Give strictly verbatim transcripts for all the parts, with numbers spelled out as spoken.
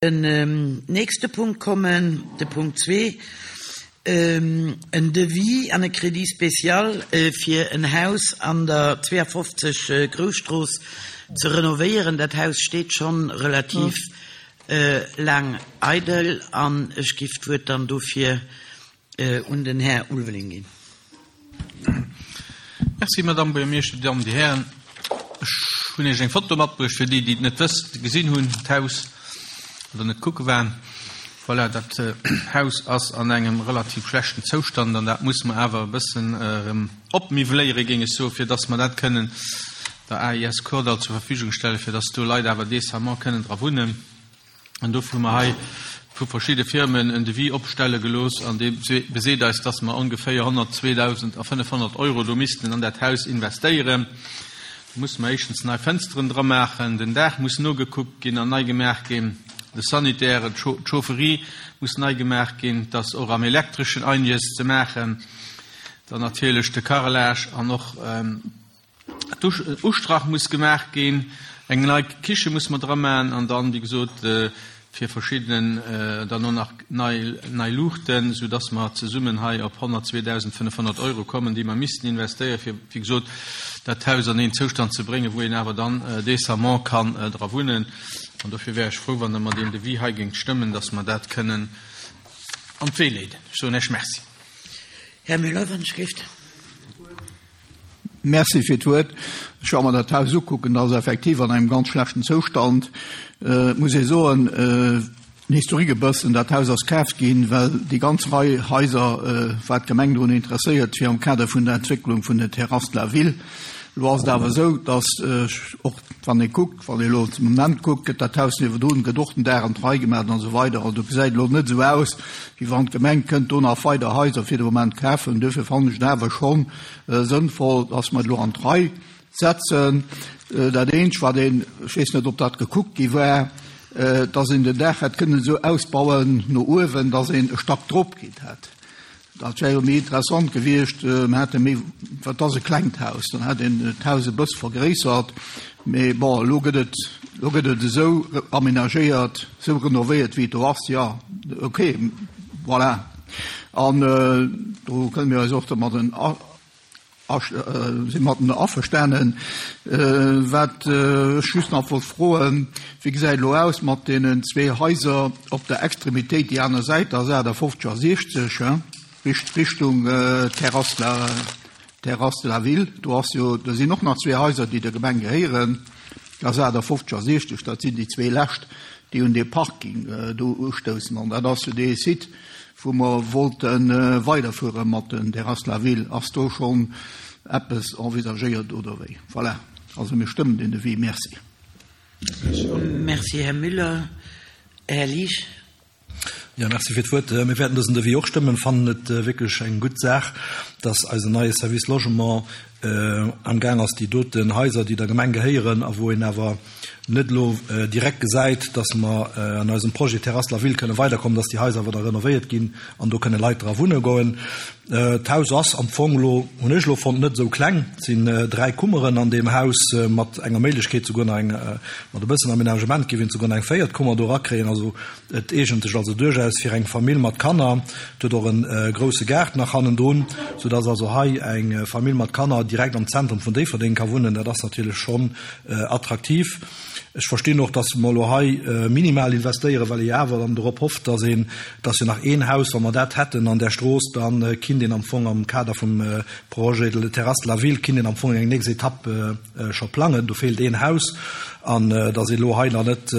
Den nächste Punkt kommen, de Punkt zwee, en Devis an e Crédit spécial fir en Haus an der zweeafofzeg Grousstrooss ze renovéieren. Dat Haus steet schonn relativ laang eidel an ech giff d'Wuert dann dofir un den Här Ulveling ginn. Merci, Madame Buergermeeschter, Dir Dammen, Dir Hären. Ech hunn Iech eng Foto matbruecht, fir déi, déi et net wësst, gesinn hunn, d'Haus, oder net kucke waren. Voilà, dat Haus ass an engem relativ schlechten Zoustand an dat muss mer awer e bëssen erëm opmiwweléieren, géing ech soen, fir dass mer dat kënnen der A I S Kordall zur Verfügung stellen, fir dass do Leit awer décemment kënnen dra wunnen. An dofir hu mer hei vu verschidde Firmen en Devis opstelle gelooss an dee beseet eis, dass mer ongeféier honnertzweedausendfënnefhonnert Euro do missten an dat Haus investéieren. Do musse mer éischtens nei Fënsteren dra maachen, den Daach muss nogekuckt ginn an nei gemaach ginn, de Sanitaire, d'Chaufferie muss nei gemaach ginn, et ass och am Elektreschen einiges ze maachen, dann natierlech de Carrelage an och Ustrach muss gemaach ginn, eng nei Kiche muss mer dra maachen an dann, wéi gesot, fir verschiddenen dann och nach nei, nei Luuchten, sou dass mer zesummen hei op honnertzweedausendfënnefhonnert Euro kommen, déi mer missten investéieren, fir, wéi gesot, dat Haus an een Zoustand ze bréngen, wou een awer dann décemment kann dra wunnen. An dofir wär ech frou, wann Der mer deen Devis hei géingt stëmmen, dass mer dat kënnen an d'Wee leeden. Ech soen Iech Merci. Här Müller, wann ech géif. Merci fir d'Wuert. Ech war mer dat Haus ukucken, dat ass effektiv an engem ganz schlechten Zoustand. Et muss ee soen, den Historique e bëssen, dat Haus ass kaaft ginn, well déi ganz Rei Haiser war d'Gemeng drun interesséiert, fir am Kader vun der Entwécklung vun den Terrasses de la Ville. Elo ass et awer esou, datt och wann ee kuckt, wann ee elo zum Moment kuckt, gëtt dat Haus niewendrun, gëtt och den Daach an d'Rei gemaach an esou weider. Also gesäit elo net esou aus, wéi wann d'Gemeng kënnt do nach weider Haiser fir de Moment kafen. Duerfir fannen ech et awer schonn sënnvoll, datt mer et elo an d'Rei setzen. Dat eenzegt, wat een, ech weess net, ob dat gekuckt gi war, datt een den Daach hätt kënnen esou ausbauen no uewen, datt een e Stack drop kritt hätt. Dat wär jo méi interessant gewiescht, mer hätte méi, wat ass e klengt Haus, dann hätt een d'Haus e bësse vergréissert. Mee bon, elo gëtt et, elo gëtt et esou amenagéiert, esou renovéiert, wéi et do ass. Jo, okay, voilà. An do kënne mir eis och domadden si matten averstanen. Wat ech just nach wollt froen, wéi gesäit elo aus mat deenen zwee Haiser op der Extremitéit, déi aner Säit, da ass achtafofzeg a siechzeg, Richtung Terrasse de la, Terrasse de la Ville. Do ass jo, do sinn och nach zwee Haiser, déi der Gemeng gehéieren, ass achtafofzeg a siechzeg, dat sinn déi zwee lescht, déi un dee Parking do ustoussen. An dat ass jo dee Site, wou mer wollte weiderfuere mat den Terrasses de la Ville. Ass do schonn eppes envisagéiert oder wéi? Voilà, also mir stëmmen den Devis. Merci. Merci, Här Müller. Här Liesch. Ja, merci fir d'Wuert. Mir wäerten dësen Devis och stëmmen, fannen et wierklech eng gutt Saach, dass eisen neie Service Logement am Gaang ass, déi doten Haiser, déi der Gemeng gehéieren a wou een awer net elo direkt gesäit, dass mer an eisem Projet Terrasse de la Ville kënne weiderkommen, dass déi Haiser awer da renovéiert ginn an do kënne Leit dra wunne goen. D'Haus ass am Fong elo, hunn ech elo fonnt, net esou kleng. Et sinn dräi Kummeren an deem Haus mat enger Méiglechkeet souguer nach eng, mat e bëssen Aménagement géif een souguer nach eng véiert Kummer do erakréien. Also et eegent sech also duerchaus fir eng Famill mat Kanner. Et huet och e grousse Gaart nach hannendrun, soudass also hei eng Famill mat Kanner direkt am Zentrum vun Déifferdeng ka wunnen. Dat ass natierlech schonn attraktiv. Ech verstinn och, dass mer elo hei minimal investéieren, well ee jo awer dann dorop hofft, dass een, dass jo nach een Haus, wa mer dat hätten an där Strooss, da kinnt een am Fong am Kader vum Projet de Terrasse de la Ville, kinnt een am Fong eng nächst Etapp scho plangen. Do feelt een Haus. An dass ee elo hei nach net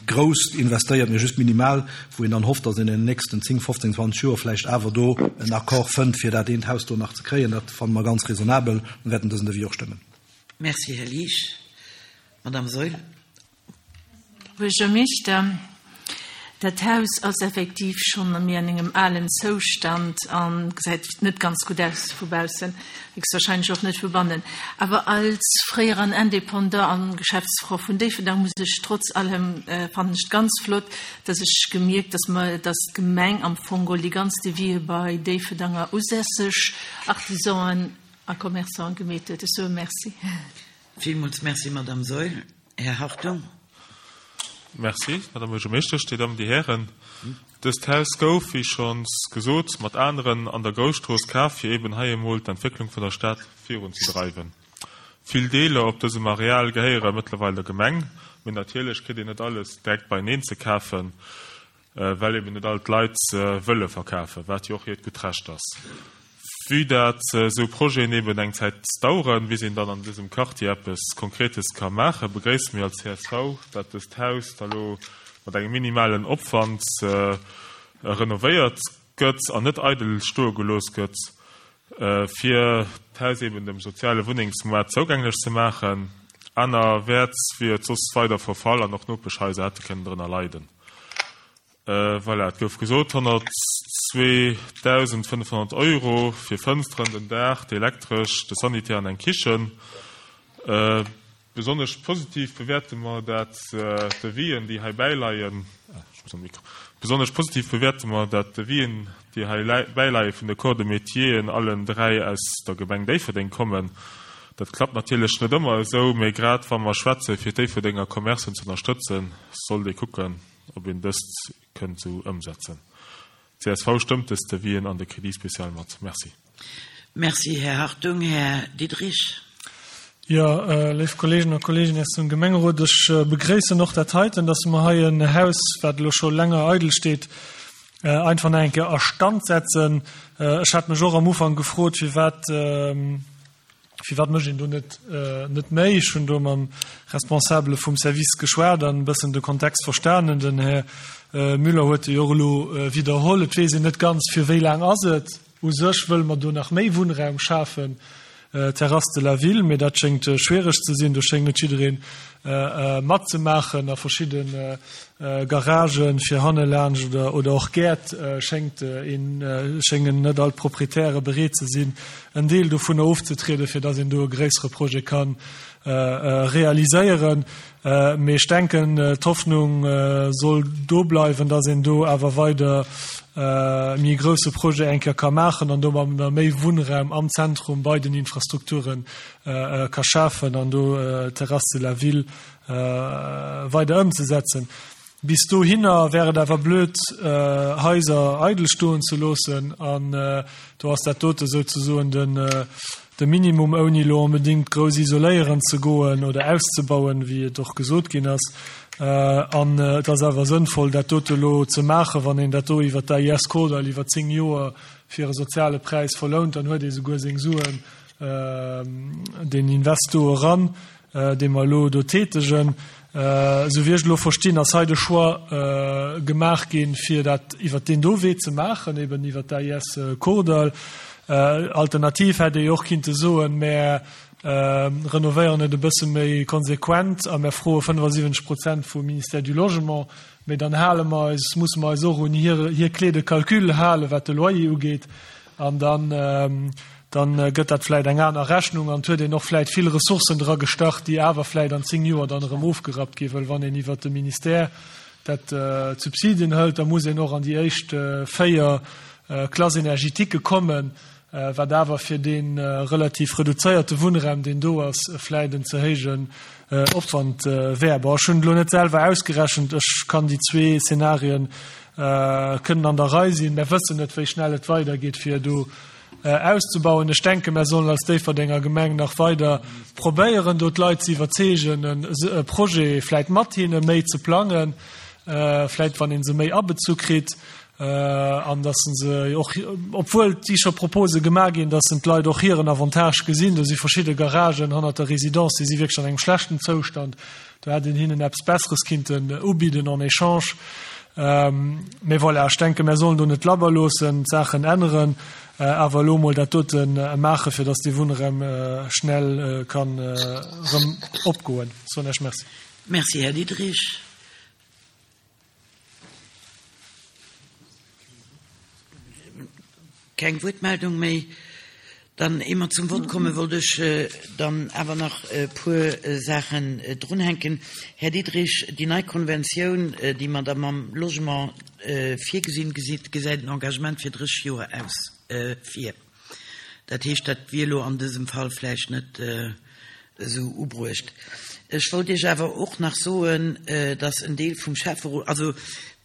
grouss investéiert, mee just minimal, wou een dann hofft, dass een an den nächsten zéng, fofzéng, zwanzeg Joer vläicht awer do en Accord fënnt, fir dat eent Haus do nach ze kréien, dat fanne mer ganz raisonnabel an wäerten dësen Devis och stëmmen. Merci, Här Liesch. Madame Saeul. Buergermeeschter, dat Haus ass effektiv schonn méi an engem alen Zoustand a gesäit net ganz gutt aus vu baussen, héchstwahrscheinlech och net vu bannen. Awer als fréieren Indépendant an Geschäftsfrau vun Déifferdang muss ech trotz allem, fannen ech et ganz flott, dass ech gemierkt, dass mer, dass d'Gemeng am Fong geholl déi ganz Devisë bei Déifferdanger usässeg Artisanen a Commerçanten gemeet huet. Ech soe Merci. Villmools Merci, Madame Saeul. Här Hartung. Merci, Madame Buergermeeschtesch, Dir Dammen, Dir Hären. Dëst Haus gouf, wéi schonns gesot, mat aneren an der Grousstrooss kaf, fir eben hei emol d'Entwécklung vun der Stad virunzedreiwen. Vill Deeler op dësem Areal gehéiere mëttlerweil der Gemeng, mee natierlech kritt een net alles direkt beieneen ze kafen, well eben net all d'Leit wëlle verkafen, wat jo och hiert gutt Recht ass. Vue dat esou Projeten eben eng Zäit daueren, bis een dann an dësem Quartier eppes Konkretes ka maachen, begréisse mir als csv, dat dëst Haus da lo mat engem minimalen Opwand renovéiert gëtt an net eidel stoe gelooss gëtt, fir d'Haus eben dem soziale Wunnengsmoart zougänglech ze maachen. Anerwäerts wier et soss weider verfall an och Nopeschhaiser hätte kënnen drënner leiden. Voilà, et gouf gesot, honnertzweedausendfënnefhonnert Euro fir Fënsteren, den Daach, d'Elektresch, de Sanitär an eng Kichen. Besonnesch positiv bewäerte mer dat d'Devis'en, déi hei bäileien, ech muss am Mikro, besonnesch positiv bewäerte mer dat d'Devis'en, déi hei bäileie vun de Corps de Métieren allen dräi aus der Gemeng Déifferdeng kommen. Dat klappt natierlech net ëmmer esou, mee grad wa mer schwätze fir d'Déifferdenger Commercen ze ënnerstëtzen, sollt ee kucken, ob een dëst kënnt esou ëmsetzen. Csv stëmmt dës Devis'en an de Crédit spécial mat. Merci. Merci, Här Hartung. Här Diderich. Jo, léif Kolleegen a Kolleeginnen aus dem Gemengerot, ech begréissen och dat heiten, dass mer hei en Haus, wat elo scho länger eidel steet, einfach nach eng Kéier a Stand setzen. Ech hat mech och am Ufank gefrot, firwat, Firwat mécht een do net net méi? Ech hunn do mam Responsabele vum Service geschwat an e bëssen de Kontext verstanen. Den Här Müller huet e jo och elo widderholl. Et weess een net ganz, fir wéi laang ass et. U sech wëlle mer do nach méi Wunnraum schafen, Terrasse de la Ville, mee dat schéngt schwiereg ze sinn. Do schéngt net jidderee matzemaachen. A verschidde Garagen fir hannelaanscht oder oder och Gäert schéngt een, schéngen net all d'Proprietäre bereet ze sinn, en Deel dovunner ofzetrieden, fir dass een do e gréissere Projet ka realiséieren. Mee ech denken, d'Hoffnung soll do bleiwen, dass een do awer weider méi e grousse Projet eng Kéier ka maachen an domadder méi Wunnraum am Zentrum bei den Infrastrukture ka schafen an do d'Terrasse de la Ville weider ëmzesetzen. Bis dohinner wär et awer blöd, Haiser eidel stoen ze loossen. An do ass dat dote souzesoen de Minimum, ouni elo onbedéngt grouss isoléieren ze goen oder auszebauen, wéi et och gesot ginn ass. An et ass awer sënnvoll, dat dote elo ze maachen. Wann een dat do iwwert d'AIS Kordall iwwer zéng Joer fir e soziale Präis verlount, dann huet ee souguer seng Suen deen Invest do eran, dee mer elo do tätegen. Esou wéi ech elo verstinn, ass hei de Choix gemaach ginn, fir dat iwwert deen do Wee ze maachen, eben iwwert d'AIS Kordall. Alternativ hätt ee jo och kinnte soen, Mär renovéieren et e bësse méi konsequent a mär froe fënnefasiwwenzeg Prozent vum Ministère du Logement, mee dann hale mer eis, musse mer eis och un hir hir Clé de calcul halen, wat de Loyer ugeet, an dann dann gëtt dat vläit eng aner Rechnung an et huet een och vläit vill Ressourcen dra gestach, déi awer vläit an zéng Joer dann erëm ofgerappt ginn, well wann een iwwert de Ministère dat d'Subsidien hëlt, da muss een och an déi éischt véier Classes énergétiques kommen, wat awer fir dee relativ reduzéierte Wunnraum, deen do ass, vläit en ze héijen Opwand wär. Bon, ech hunn et elo net selwer ausgerechent, ech kann déi zwee Szenarien kënnen an der Rei sinn. Mär wëssen net, wéi schnell et weidergeet, fir do auszebauen. Ech denken, mär sollen als Déifferdenger Gemeng nach weider probéieren, do d'Leit ze iwwerzeegen, e Projet vläit mat hinne méi ze plangen, vläit wann ee se méi abezu kritt, an datt se och, obwuel et si scho Propose gemaach ginn, datt d'Leit och hiren Avantage gesinn. Do si verschidde Garagen hannert der Résidence, déi si wierklech an engem schlechten Zoustand. Do hätt een hinnen eppes Besseres kinnten ubidden en échange. Mee voilà, ech denken, mär sollen do net labber loossen, d'Saachen änneren, awer elo emol dat dote maachen, fir datt dee Wunnraum schnell kann erëm opgoen. Soen Iech Merci. Merci, Här Diderich. Keng Wuertmeldung méi. Dann, ier mer zum Vott kommen, wollt ech dann awer nach e puer Saachen drunhänken. Här Diderich, déi nei Konventioun, déi mer da mam Logement virgesinn, gesäit en Engagement fir drésseg Joer aus vir. Dat heescht, dat wier elo an dësem Fall vläicht net esou ubruecht. Ech wollt Iech awer och nach soen, dass en Deel vum Schäfferot, also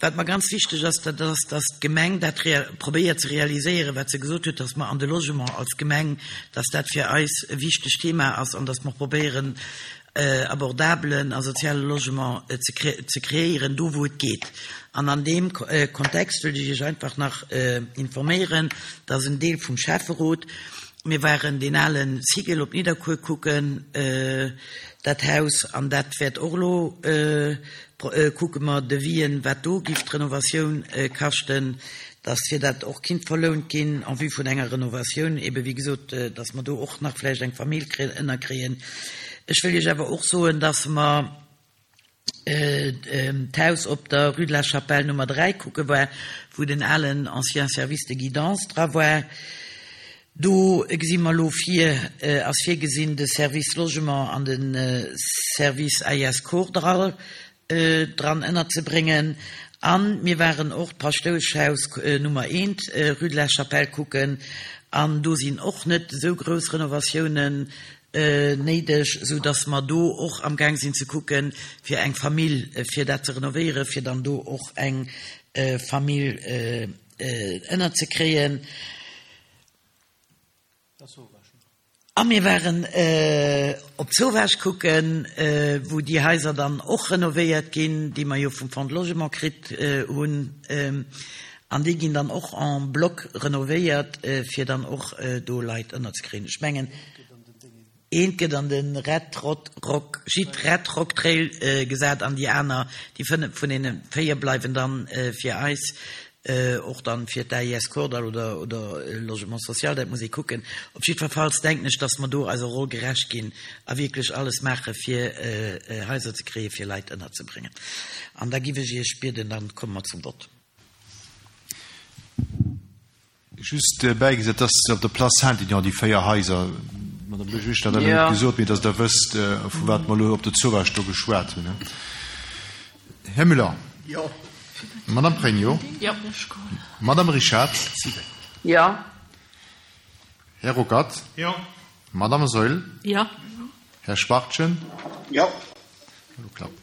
wat mer ganz wichteg ass, dat ass, dass d'Gemeng dat probéiert ze realiséieren, wat se gesot huet, dass mer an de Logement als Gemeng, dass dat fir eis e wichtegt Thema ass an dass mer probéieren, abordabelen a soziale Logement ze kreéieren, do wou et geet. An an deem Kontext wëllt ech Iech einfach nach informéieren, dass en Deel vum Schäfferot, mir waren deen ale Cigl op Nidderkuer kucken, dat Haus, an dat wäert och elo, kucke mer Devisen, wat do giff d'Renovatioun kaschten, dass fir dat och kinnt verlount ginn en vue vun enger Renovatioun, ebe wéi gesot, dass mer do och nach vläicht eng Famill ënnerkréien. Ech wëll Iech awer och soen, dass mer d'Haus op der Rue de la Chapelle Nummer dräi kucke war, wou den alen ancien Service de guidance dra war. Do gesi mer elo vir, ass virgesinn, de Service Logement an de Service A I S Kordall dran ënnerzebréngen. A mir waren och d'Paschtoueschhaus Nummer eent, Rue de la Chapelle kucken, an do sinn och net esou grouss Renovatiounen néideg, esou datt mer do och amgaang sinn ze kucken, fir eng Famill, fir dat ze renovéieren, fir dann do och eng Famill ënnerzekréien. A mir waren op d'Zowaasch kucken, wou déi Haiser dann och renovéiert ginn, déi mer jo vum Fonds de Logement kritt hunn. An déi ginn dann och en bloc renovéiert, fir dann och do Leit ënnerzekréien. Ech mengen, eent gëtt an de Red Rot Rock, Gîte Red Rock Trail gesat an déi aner, déi fënnef vun deene véier bleiwen dann fir eis. Och dann fir d'A I S Kordall oder oder Logement social, dat muss ee kucken. Op jiddwerfalls denken ech, dass mer do eiser Roll gerecht ginn a wierklech alles maache fir Haiser ze kréie fir Leit ënnerzebréngen. An da giff ech Iech bieden, dann komme mer zum Vott. Just bäigesat, dass op der Place Saint-Aignan déi véier Haiser, Madame Buergermeeschter hat dat elo net gesot, mee dass Der wësst, vu wat mer elo op der Zowaasch do geschwat hunn. Här Müller. Jo. Madame Pregno. Jo. Madame Richard. Jo. Här Ruckert. Jo. Madame Saeul. Jo. Här Schwachtgen. Jo. Elo klappt.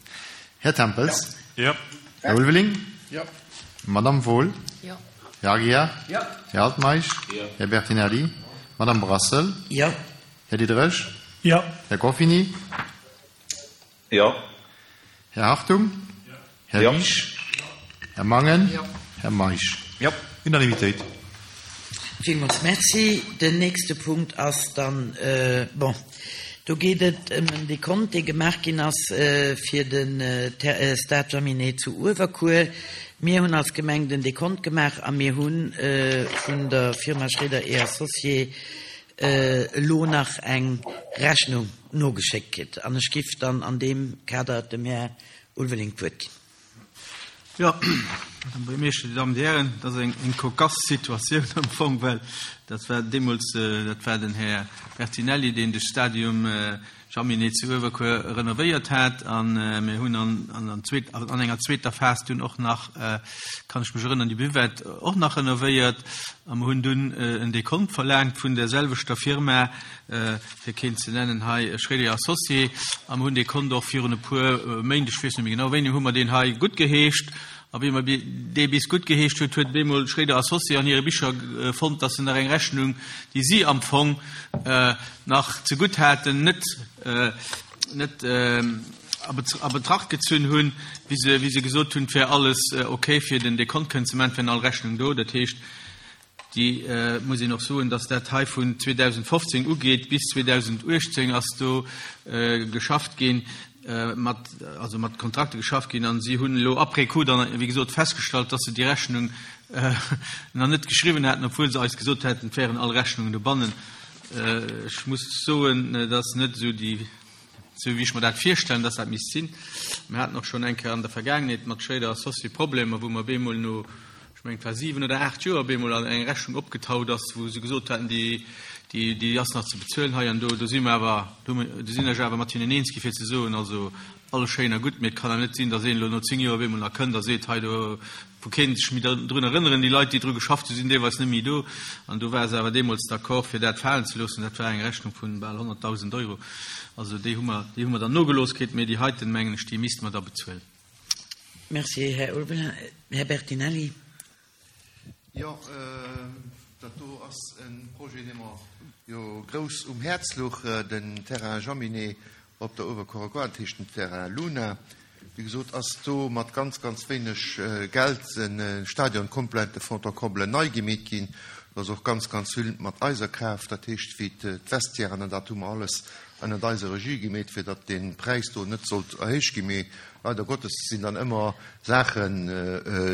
Här Tempels. Jo. Här Ulveling. Jo. Madame Wohl. Jo. Här Aguiar. Jo. Här Altmeisch. Jo. Här Bertinelli. Madame Brassel. Jo. Här Diderich. Jo. Här Goffini. Jo. Här Hartung. Jo. Här Jo. Wiesch. Här Mangen. Jo. Här Meisch. Jo. Unanimitéit. Villmools Merci. Den nächste Punkt ass dann, bon, do geet et ëm en Dekont, dee gemaach ginn ass fir de Stade Jaminet zu Uewerkuer. Mir hunn als Gemeng den Dekont gemaach a mir hu vun der Firma Schréder et Associés elo nach eng Rechnung nogeschéckt kritt. An ech giff dann an deem Kader dem Här Ulveling d'Wuert ginn. Jo, Madame Buergermeeschter, Dir Dammen, Dir Hären, dat ass eng eng cocasse Situatioun am Fong, well dat war deemools, dat war den Här Bertinelli, deen de Stadium Jaminet zu Uewerkuer renovéiert hat a mir hunn an an zweet an enger zweeter Phas dunn och nach, kann ech mech erënnern, déi Buvette och nach renovéiert a mir hunn dunn en Dekont verlaangt vun där selwechter Firma, fir keen ze nennen hei, Schréder Associés, a mir hunn dee Kont och virun e puer Méint, ech weess net méi genau wéini, hu mer deen hei guttgeheescht. A wéi mer dee bis guttgeheescht huet, huet bemol Schréder Associés an hire Bicher fonnt, dass se nach eng Rechnung, déi si am Fong nach zegutt haten, net net a Betracht gezunn hunn, wéi se wéi se gesot hunn, et wär alles ok fir den Dekont kënnen ze maachen, et wären all Rechnungen do. Dat heescht, déi muss een och soen, dass dat hei vun zweedausendfofzéng ugeet, bis zweedausendachtzéng ass do geschafft ginn, mat, also mat Kontrakte geschafft ginn an si hunn elo après coup dann, wéi gesot, festgestallt, dass se déi Rechnung nach net geschriwwen haten, obwuel se eis gesot hätten, et wären all Rechnungen dobannen. Ech muss soen, dat ass net esou déi, esou wéi ech mer dat virstellen, dass dat misst sinn. Mir haten och schonn eng Kéier an der Vergaangenheet mat Schréder Associés Problemer, wou mer bemol no, ech mengen et war siwen oder aacht Joer, bemol eng Rechnung opgetaut ass, wou se gesot haten, déi, Déi, déi ass nach ze bezuelen hei an do. Do si mer awer, do sinn ech awer mat hinnen eens gi fir ze soen, also alles schéin a gutt, mee et kann awer net sinn, datt een elo no zéng Joer op eemol nach kënnt a seet, hei do, wou keen sech méi drun erënneren, déi Leit, déi dru geschafft hunn, sinn deelweis net méi do. An do war se awer deemools d'accord, fir dat falen ze loossen. Dat war eng Rechnung vu bal honnertdausend Euro. Also déi hu mer, déi hu mer dann nogelooss kritt, mee déi heiten, mengen ech, déi misste mer da bezuelen. Merci, Här Ulveling. Här Bertinelli. Jo, dat do ass e Projet, dee mer jo grouss um Häerz louch, den Terrain Jaminet op der Uewerkuerer Gare, dat heescht den Terrain Luna. Wéi gesot ass do mat ganz, ganz wéineg Geld e Stadion komplett de fond en comble nei gemeet ginn. Do ass och ganz, ganz vill mat eiser Kraaft, dat heescht wéi d'Vestiairen an dat hu mer alles ënnert eiser Regie gemeet, fir datt dee Präis do net sollt erhéicht ginn. Mee leider Gottes sinn dann ëmmer Saachen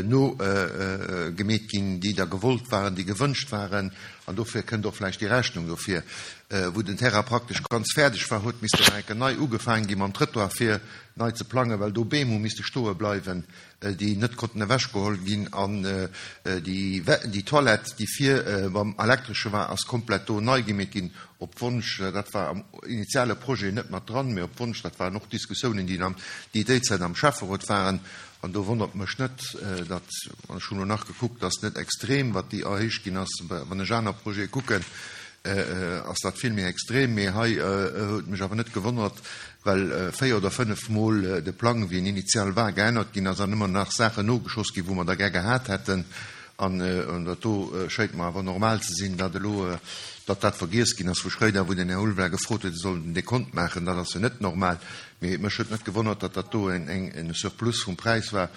nogemeet ginn, déi da gewollt waren, déi gewënscht waren. An dofir kënnt och vläicht déi Rechnung dofir. Wou den Terrain praktesch ganz fäerdeg war, huet missten nach eng Kéier nei ugefaangen gi mam Trëttoir, fir nei ze plangen, well do Beem hu misste stoe bleiwen, déi net konnten ewechgeholl ginn. An déi, déi Toilette, déi vir beim Elektresche war, ass komplett do nei gemeet ginn, op Wonsch, dat war am initiale Projet net mat dran, mee op Wonsch, dat waren och Diskussiounen, déi am, déi déizäit am Schäfferot waren. An do wonnert mech net, datt, an ech hunn elo nach gekuckt, datt net extrem, wat déi erhéicht ginn ass. Wann ech aner Projete kucken, ass dat vill méi extrem. Mee hei huet mech awer net gewonnert, well véier oder fënnef Mol de Plang, wéi en initial war, geännert ginn ass an ëmmer nach Saachen nogeschoss ginn, wou mer der gär gehat hätten. An dat do schéngt mer awer normal ze sinn, datt elo, datt dat vergiess ginn ass vu Schréider, wou den Här Ulveling gefrot huet, e soll den Dekont maachen. Dat ass jo net normal. Mee mech huet net gewonnert, datt dat do en Surplus vum Präis war,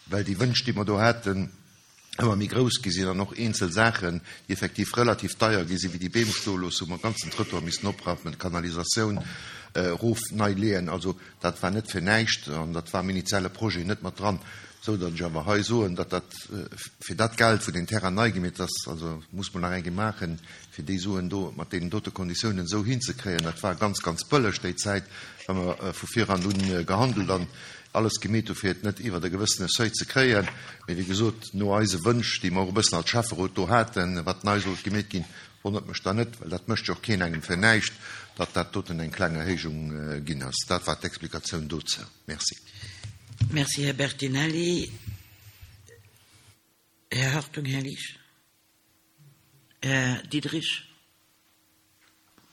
well déi Wënsch, déi mer do haten, ëmmer méi grouss gi sinn an och eenzel Saachen, déi effektiv relativ deier gi sinn, wéi déi Beem stoe loossen, wou mer ganzen Trëttoir missten oprappen, d'Kanalisatioun erof nei leeën. Also dat war net fir näischt an dat war am initiale Projet net mat dran, esou datt ech awer hei soen, datt dat fir dat Geld, wou deen Terrain nei gemeet ass, also muss mer nach eng Kéier maachen, fir déi Suen do mat deenen dote Konditiounen esou hinzekréien. Dat war ganz, ganz bëlleg déi Zäit, well mer vu viran un gehandelt an alles gemeet hu fir et net iwwert e gewëssene Seuil ze kréien. Mee wéi gesot, no eise Wënsch, déi mer och e bëssen als Schäfferot do haten, wat nei sollt gemeet ginn, wonnert mech dann net, well dat mécht jo och keen engem fir näischt, datt dat doten eng kleng Erhéijung ginn ass. Dat war d'Explikatioun dozou. Merci. Merci, Här Bertinelli. Här Hartung, Här Liesch. Här Diderich.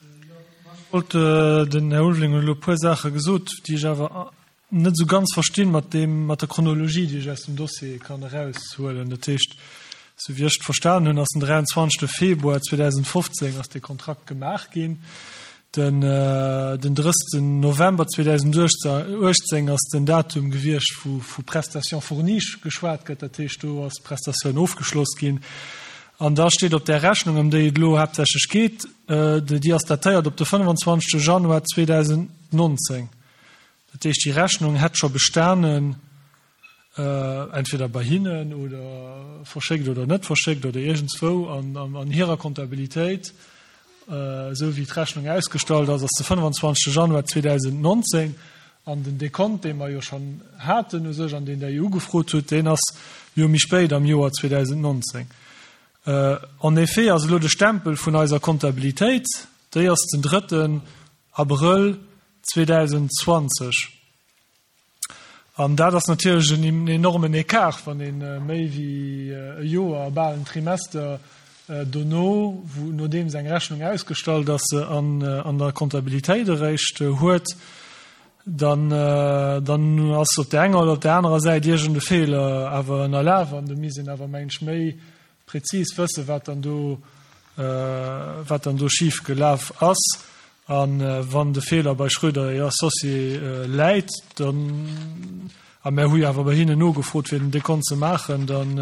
Ech wollt, den Här Ulveling huet elo e puer Saache gesot, déi ech awer net esou ganz verstinn mat deem, mat der Chronologie, déi ech aus dem Dossier kann eraushuelen. Dat heescht, esou wéi ech et verstanen hunn, ass den dräianzwanzegste Februar zweedausendfofzéng ass dee Kontrakt gemaach ginn. Den, den drëssten November zweedausenduechtzéng ass den Datum gewiescht, wou vu Prestation fournie geschwat gëtt. Dat heescht, do ass d'Prestatioun ofgeschloss ginn. An da steet op där Rechnung, ëm déi et elo haaptsächlech geet, déi ass datéiert op de fënnefanzwanzegste Januar zweedausendnonzéng. Dat heescht, déi Rechnung hätt scho bestanen, entweder bei hinnen oder verschéckt oder net verschéckt oder iergendswou an hirer Comptabilitéit, esou wéi d'Rechnung ausgestallt ass, ass de fënnefanzwanzegste Januar zweedausendnonzéng. An den Dekont, dee mer jo schonn haten u sech an deen Der jo ugefrot hutt, deen ass jo méi spéit am Joer zweedausendnonzéng. En effet ass elo de Stempel vun eiser Comptabilitéit, déi ass den drëtten Abrëll zweedausendzwanzeg. An dat ass natierlech en enormen Écart, wann ee méi wéi e Joer, bal en Trimester dono, wou nodeems eng Rechnung ausgestallt ass, se an der Comptabilitéit eréischt huet, dann dann ass op där enger oder op där anerer Säit iergend e Feeler awer ënnerlaf. An do misst een awer, mengen ech, méi prezis wëssen, wat dann do, wat dann do schif gelaf ass. A wann de Feeler bei Schröder et Associés läit, dann, a mär hu jo awer bei hinnen nogefrot, fir den Dekont ze maachen, dann,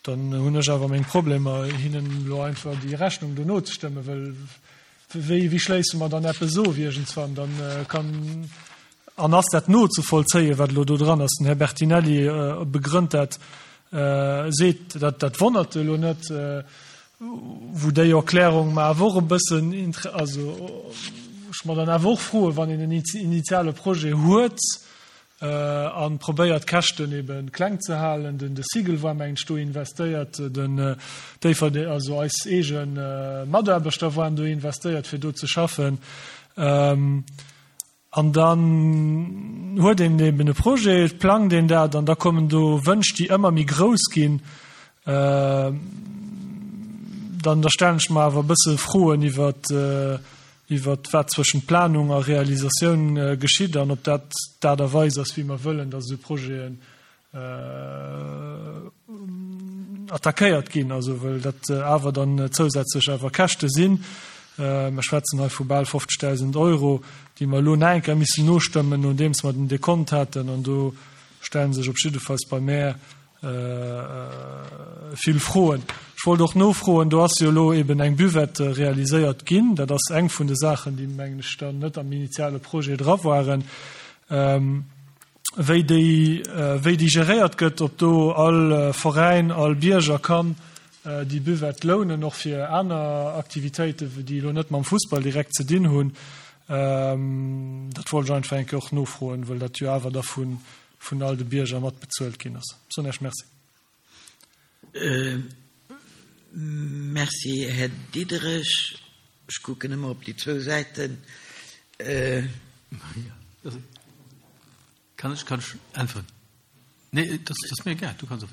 dann hunn ech awer meng Problemer, hinnen elo einfach déi Rechnung do nozestëmmen, well wéi, wéi schléisse mer dann eppes of iergendswann? Dann kann, an ass dat nozevollzéien, wat elo do dran ass? Den Här Bertinelli begrënnt dat, seet, dat, dat wonnert elo net, wou déi Erklärung mer awer och e bëssen, also ech mer dann awer och froen, wann een en initiale Projet huet, an probéiert d'Käschten eben kleng ze halen. Den de Sigel war mengen ech do investéiert, den Déifferdeng, also eis eege Mataarbechter waren do investéiert fir do ze schaffen. An dann huet een eben e Projet, et plangt een dat an da kommen do Wënsch déi ëmmer méi grouss ginn. Dann da stellen ech mer awer e bësse Froen iwwert iwwert wat zwëschent Planung a Realisatioun geschitt an ob dat d'Aart a Weis ass, wéi mer wëllen, datt esou Projeten attackéiert ginn, also well dat awer dann zousätzlech awer Käschte sinn. Mer schwätzen hei vu bal fofzegdausend Euro, déi mer elo nach eng Kéier missen nostëmmen, nodeems mer den Dekont haten. An do stelle sech op jiddefalls bei mär vill Froen. Ech wollt och nofroen, do ass jo elo eben eng Buvette realiséiert ginn. Dat ass eng vun de Saachen, déi, mengen ech, dann net am initiale Projet dra waren. Wéi déi, wéi déi geréiert gëtt, ob do all Veräin, all Bierger kann déi Buvette lounen, och fir aner Aktivitéiten, déi elo net mam Fussball direkt ze dinn hunn. Dat wollt ech einfach eng Kéier och nofroen, well dat jo awer da vun vun all de Bierger mat bezuelt ginn ass. Soen Iech Merci. Merci, Här Diderich. Ech kucken ëmmer op déi zwou Säiten. Kann ech, kann ech äntweren? Nee, dat ass mir egal, du kanns och.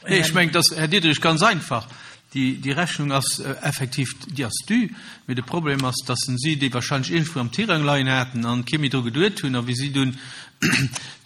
Nee, ech mengen, dass, Här Diderich, ganz einfach, déi, déi Rechnung ass effektiv, déi ass dû, mee de Problem ass, dass si déi wahrscheinlech iergendwou am Tirang leien haten an kee méi dru geduet hunn. A wéi si dunn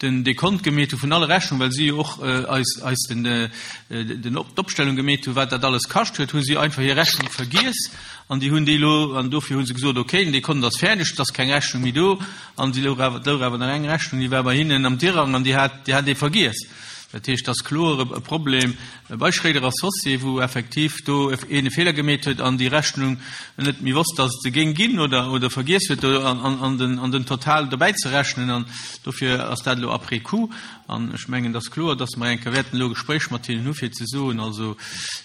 den Dekont gemeet hu vun alle Rechnungen, well si jo och eis, eis den, den, d'Opstellung gemeet hu wat dat alles kascht huet, hu si einfach hir Rechnung vergiess an déi hunn déi elo, an dofir hu se gesot, okay, den Dekont ass fäerdeg, et ass keng Rechnung méi do. An si louch awer, et louch awer nach eng Rechnung, déi war bei hinnen am Tirang an déi hat, déi hat ee vergiess. Dat heescht, et ass kloer e Problem bei Schréider Associés, wou effektiv do een e Feeler gemeet huet an déi Rechnung net méi wosst, datt et se géing ginn oder, oder vergiess huet do an, an den, an den Total dobäi ze rechnen. An dofir ass dat elo après coup. An ech mengen, et ass kloer, datt mer eng Kéier wäerten elo e Gespréich mat hinnen hu fir ze soen, also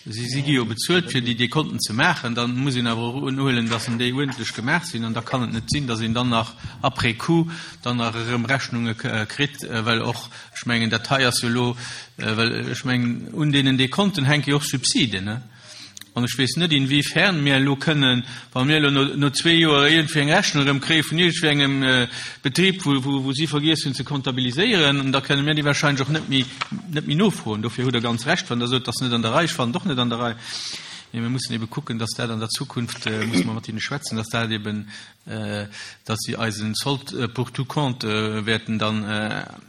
si, si gi jo bezuelt fir déi Dekonten ze maachen, da muss een awer och unhuelen, datt en déi uerdentlech gemaach sinn. An da kann et net sinn, datt een dann nach après coup dann nach erëm Rechnunge kritt, well och, ech mengen, dat hei ass jo elo, well ech mengen, un deenen Dekonten hänke jo och Subsiden, ne? An ech weess net, inwiefern mir elo kënnen, wa mir elo no, no zwee Joer iergendwéi eng Rechnung erëm kréie vun iergendwéi engem Betrib, wou, wou, wou si vergiess hunn ze comptabiliséieren, da kënne mir déi wahrscheinlech och net méi, net méi nofroen. Dofir hutt Der ganz Recht, wann Der sot, dat ass net an der Rei. Ech fannen et och net an der Rei. Mee mir mussen ebe kucken, dass dat an der Zukunft, musse mer mat hinne schwätzen, dass dat eben, dass si eis en Solde pour tout compte wäerten dann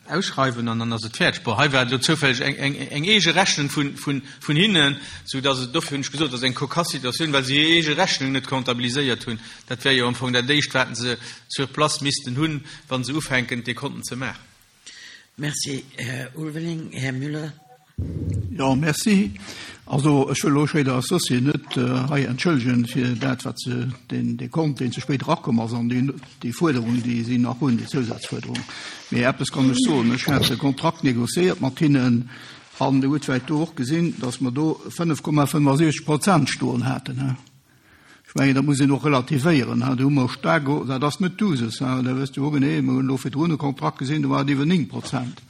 ausschreiwen an dann ass et fäerdeg. Bon, hei war et elo zoufälleg eng, eng, eng eege Rechnung vun, vun, vun hinnen, soudass et, dofir hunn ech gesot, dat ass eng cocasse Situatioun, well se hir eege Rechnung net comptabiliséiert hunn. Dat wär jo am Fong dat Éischt, wat se sur place missten hunn, wa se ufänken, d'Dekonten ze maachen. Merci, Här Ulveling. Här Müller. Jo, merci. Also, ech wëll elo Schréider Associés net hei entschëllegen fir dat, wat se, deen Dekont, deen ze spéit erakomm ass, an déi, déi Fuerderung, déi si nach hunn, déi Zousazfuerderung. Mee eppes kann ech soen, Ech hat e Kontrakt négociéiert mat hinnen an Dir hutt vläicht do och gesinn, dass mer do fënnef Komma fënnefasiechzeg Prozent stoen haten. Ech mengen, dat muss een och relativéieren. Do hu mer staark, dat ass net d'Usus, da wësst Dir och genee, mer hunn elo virdrun e Kontrakt gesinn, do war et iwwer néng Prozent.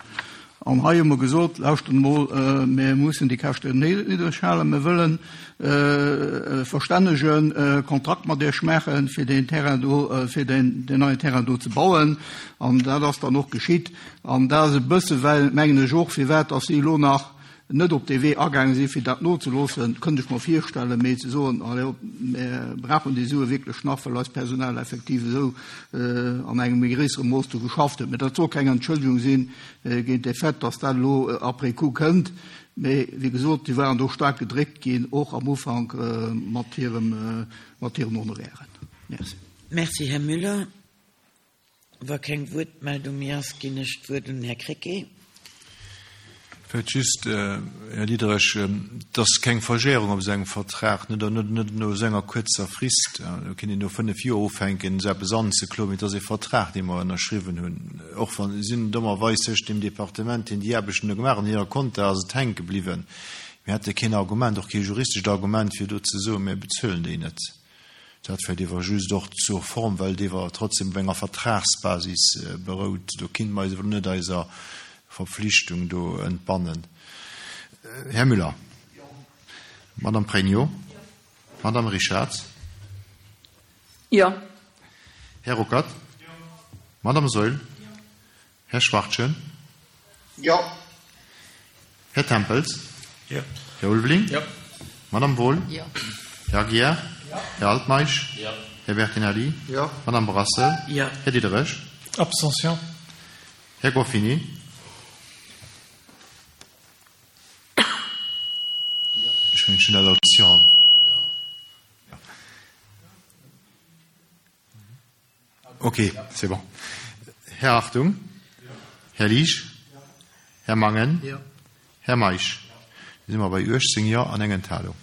An hei hu mer gesot, Lauschtert emol, mir mussen déi Käschten niddreg halen, mir wëllen e verstännege Kontrakt mat Iech maachen, fir deen Terrain do, fir deen neien Terrain do ze bauen. An dat ass dann och geschitt. An dat ass e bësse well, mengen ech och, firwat dass si elo nach net op dee Wee agaange sinn, fir dat nozeloossen, kënnt ech mer virstellen, mee ze soen, allez hop, mir brauchen déi Sue wierklech nach, well eist Personal effektiv esou an engem méi gréissere Mooss do geschafft huet. Mee dat soll keng Entschëllegung si géint de Fait, dass dat elo après coup kënnt. Mee wéi gesot, si waren do staark gedréckt ginn, och am Ufank mat hirem, mat hiren Honorairen. Merci. Merci, Här Müller. Wa keng Wuertmeldung méi ass, ginn ech d'Wuert un den Här Krecké. Vläicht just, Här Diderich, et ass keng Verjährung op esou engem Vertrag, net net no esou enger kuerzer Frist. Do kéint een no fënnef Joer ufänken, esou eppes anzekloen, mee et ass e Vertrag, dee mer ënnerschriwwen hunn. Och wann, sinn dommerweis tëscht deem Departement, deen déi Aarbechten do gemaach huet, an hirer Compta ass et hänke bliwwen. Mir hate keen Argument, och kee juristescht Argument, fir do ze soen, mir bezuelen déi net. Dat vläicht ewer just och zur Form, well et ewer trotzdem op enger Vertragsbasis berout. Do kinne mer eis ewer net eiser Verpflichtung do entbannen. Här Müller. Madame Pregno. Madame Richarz. Jo. Här Ruckert. Madame Saeul. Här Schwachtgen. Jo. Här Tempels. Jo. Här Ulveling. Jo. Madame Wohl. Jo. Här Aguiar. Jo. Här Altmeisch. Jo. Här Bertinelli. Jo. Madame Brassel. Jo. Här Diderich. Abstention. Här Goffini. Ech mengen, ech hunn dat als Jo. Ok, c'est bon. Här Hartung. Här Liesch. Här Mangen. Jo. Här Meisch. Da si mer bei uechtzéng Jo an eng Enthalung.